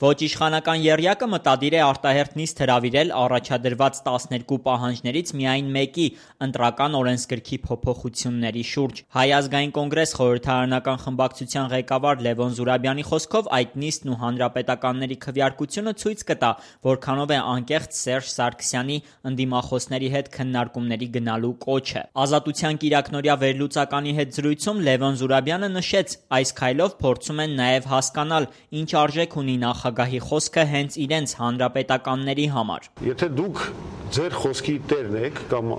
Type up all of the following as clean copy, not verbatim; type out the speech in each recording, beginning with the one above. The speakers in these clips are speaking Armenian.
Ոչ իշխանական եռյակը մտադիր է արտահերթ նիստ հրավիրել առաջադրված 12 պահանջներից միայն մեկի՝ ընտրական օրենսգրքի փոփոխությունների շուրջ։ Հայ ազգային կոնգրես խորհրդարանական խմբակցության ղեկավար Լևոն Զուրաբյանի խոսքով այդ նիստն ու հանրապետականների քվեարկությունը ցույց կտա, որքանով է անկեղծ Սերժ Սարգսյանի ընդդիմախոսների հետ քննարկումների գնալու կոչը։ Ազատության կիրակնօրյա վերլուծականի հետ զրույցում Լևոն Զուրաբյանը նշեց, այս քայլով փորձում են նաև հասկանալ, ինչ արժեք ունի նախագահի խոսքը հենց իրենց հանրապետականների համար։ Եթե դուք ձեր խոսքի տերն եք կամ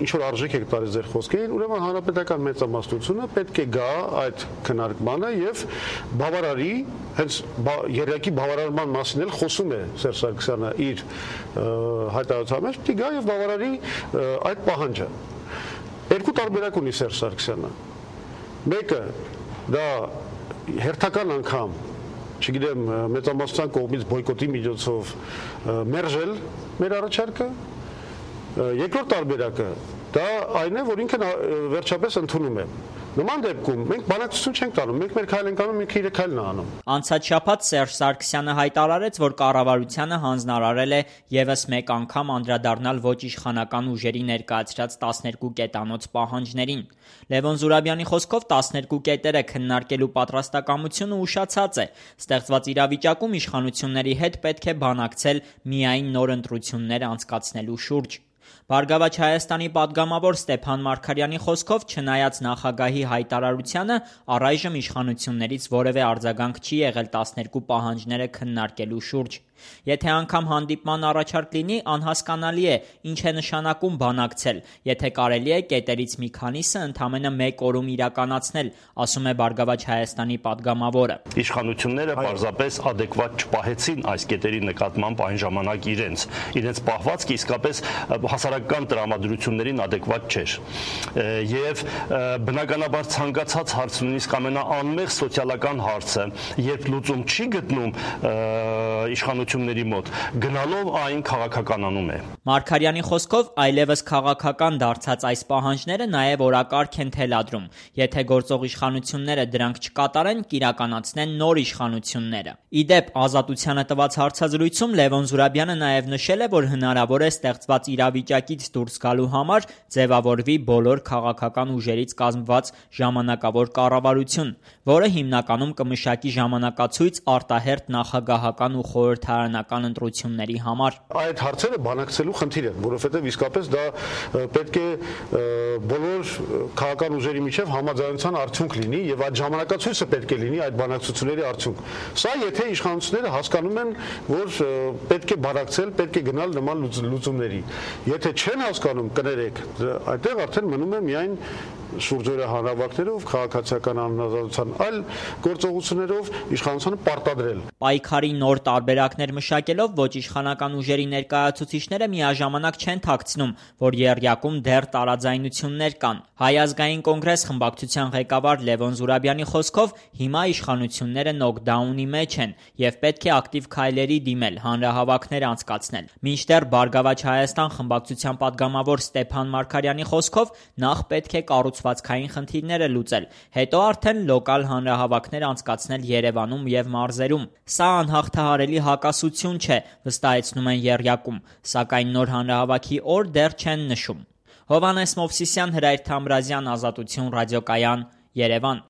ինչ որ արժեք եք տալիս ձեր խոսքերին, ուրեմն հանրապետական մեծամասնությունը պետք է գա այդ քննարկմանը եւ բավարարի, հենց երեքի բավարարման մասին էլ խոսում է Սերժ Սարգսյանը իր հայտարարության մեջ, պետք է գա եւ բավարարի այդ պահանջը։ Երկու տարբերակ ունի Սերժ Սարգսյանը։ Մեկը դա հերթական անգամ չգիտեմ, մեծամասնության կողմից բոյկոտի միջոցով մերժել մեր առաջարկը։ Երկրորդ տարբերակը դա այն է, որ ինքն վերջապես ընդունում է։ Նման դեպքում մենք բանակցություն չենք տանում, մենք մեր քայլ ենք անում, ինքը իր քայլն է անում։ Անցած շաբաթ Սերժ Սարգսյանը հայտարարեց, որ կառավարությանը հանձնարարել է եւս մեկ անգամ անդրադառնալ ոչ իշխանական ուժերի ներկայացրած 12 կետանոց պահանջներին։ Լևոն Զուրաբյանի խոսքով 12 կետերը քննարկելու պատրաստակամությունը ուշացած է։ Ստեղծված իրավիճակում իշխանությունների հետ պետք է բանակցել միայն նոր ընտրություններ անցկացնելու շուրջ։ Բարգավաճ Հայաստանի պատգամավոր Ստեփան Մարգարյանի խոսքով, չնայած նախագահի հայտարարությանը, առայժմ իշխանություններից որևէ արձագանք չի եղել 12 պահանջները քննարկելու շուրջ։ Եթե անգամ հանդիպման առաջարկ լինի, անհասկանալի է, ինչ է նշանակում բանակցել, եթե կարելի է կետերից մի քանիսը ընդամենը մեկ օրում իրականացնել, ասում է Բարգավաճ Հայաստանի պատգամավորը։ Իշխանությունները պարզապես ադեկվատ չպահեցին այս կետերի նկատմամբ այն ժամանակ իրենց պահվածքը իսկապես հասարակական տրամադրություններին ադեկվատ չէր։ Եվ բնականաբար ցանկացած հարց, նույնիսկ ամենաանմեղ սոցիալական հարցը, երբ լուծում չի գտնում իշխանությունների մոտ, գնալով այն քաղաքականանում է։ Մարգարյանի խոսքով այլևս քաղաքական դարձած այս պահանջները նաև օրակարգ են թելադրում։ Եթե գործող իշխանությունները դրանք չկատարեն, կիրականացնեն նոր իշխանությունները։ Իդեպ, Ազատությանը տված հարցազրույցում Լևոն Զուրաբյանը նաև նշել է, որ հնարավոր է ստեղծված իրավիճակից դուրս գալու համար ձևավորվի բոլոր քաղաքական ուժերից կազմված ժամանակավոր կառավարություն, որը հիմնականում կմշակի ժամանակացույց արտահերթ նախագահական ու խորհրդարանական ընտրությունների համար։ Այդ հարցերը բանակցելու խնդիր են, որովհետև իսկապես դա պետք է բոլոր քաղաքական ուժերի միջև համաձայնության արդյունք լինի եւ այդ ժամանակացույցը պետք է լինի այդ բանակցությունների արդյունք։ Սա եթե իշխանությունները հասկանում են, որ պետք է բանակցել, պետք է գնալ նման լուծումների։ Եթե չեն հասկանում, կներեք, այդտեղ արդեն մնում է միայն շուրջօրյա հանրավակներով, քաղաքացիական անհնազանդության այլ գործողություններով իշխանությունը պարտադրել։ Պայքարի նոր տարբերակներ մշակելով ոչ իշխանական ուժերի ներկայացուցիչները միաժամանակ չեն թաքցնում, որ եռյակում դեռ տարաձայնություններ կան։ Հայ ազգային կոնգրես խմբակցության ղեկավար Լևոն Զուրաբյանի խոսքով հիմա իշխանությունները նոկդաունի մեջ են եւ պետք է ակտիվ քայլերի դիմել, հանրահավաքներ անցկացնել։ Մինչդեռ Բարգավաճ Հայաստան խմբակցության պատգամավոր Ստեփան Մարգարյանի խոսքով նախ պետք է կառուցվածքային խնդիրները լուծել, հետո արդեն լոկալ հանրահավաքներ անցկացնել Երևանում եւ մարզերում։ Սա անհաղթահարելի հակասություն չէ, վստահեցնում են եռյակում, սակայն նոր հանրահավաքի օր դեռ չեն նշում։ Հովհաննես Մովսիսյան, Հրայր Թամրազյան, Ազատություն ռադիոկայան, Երևան։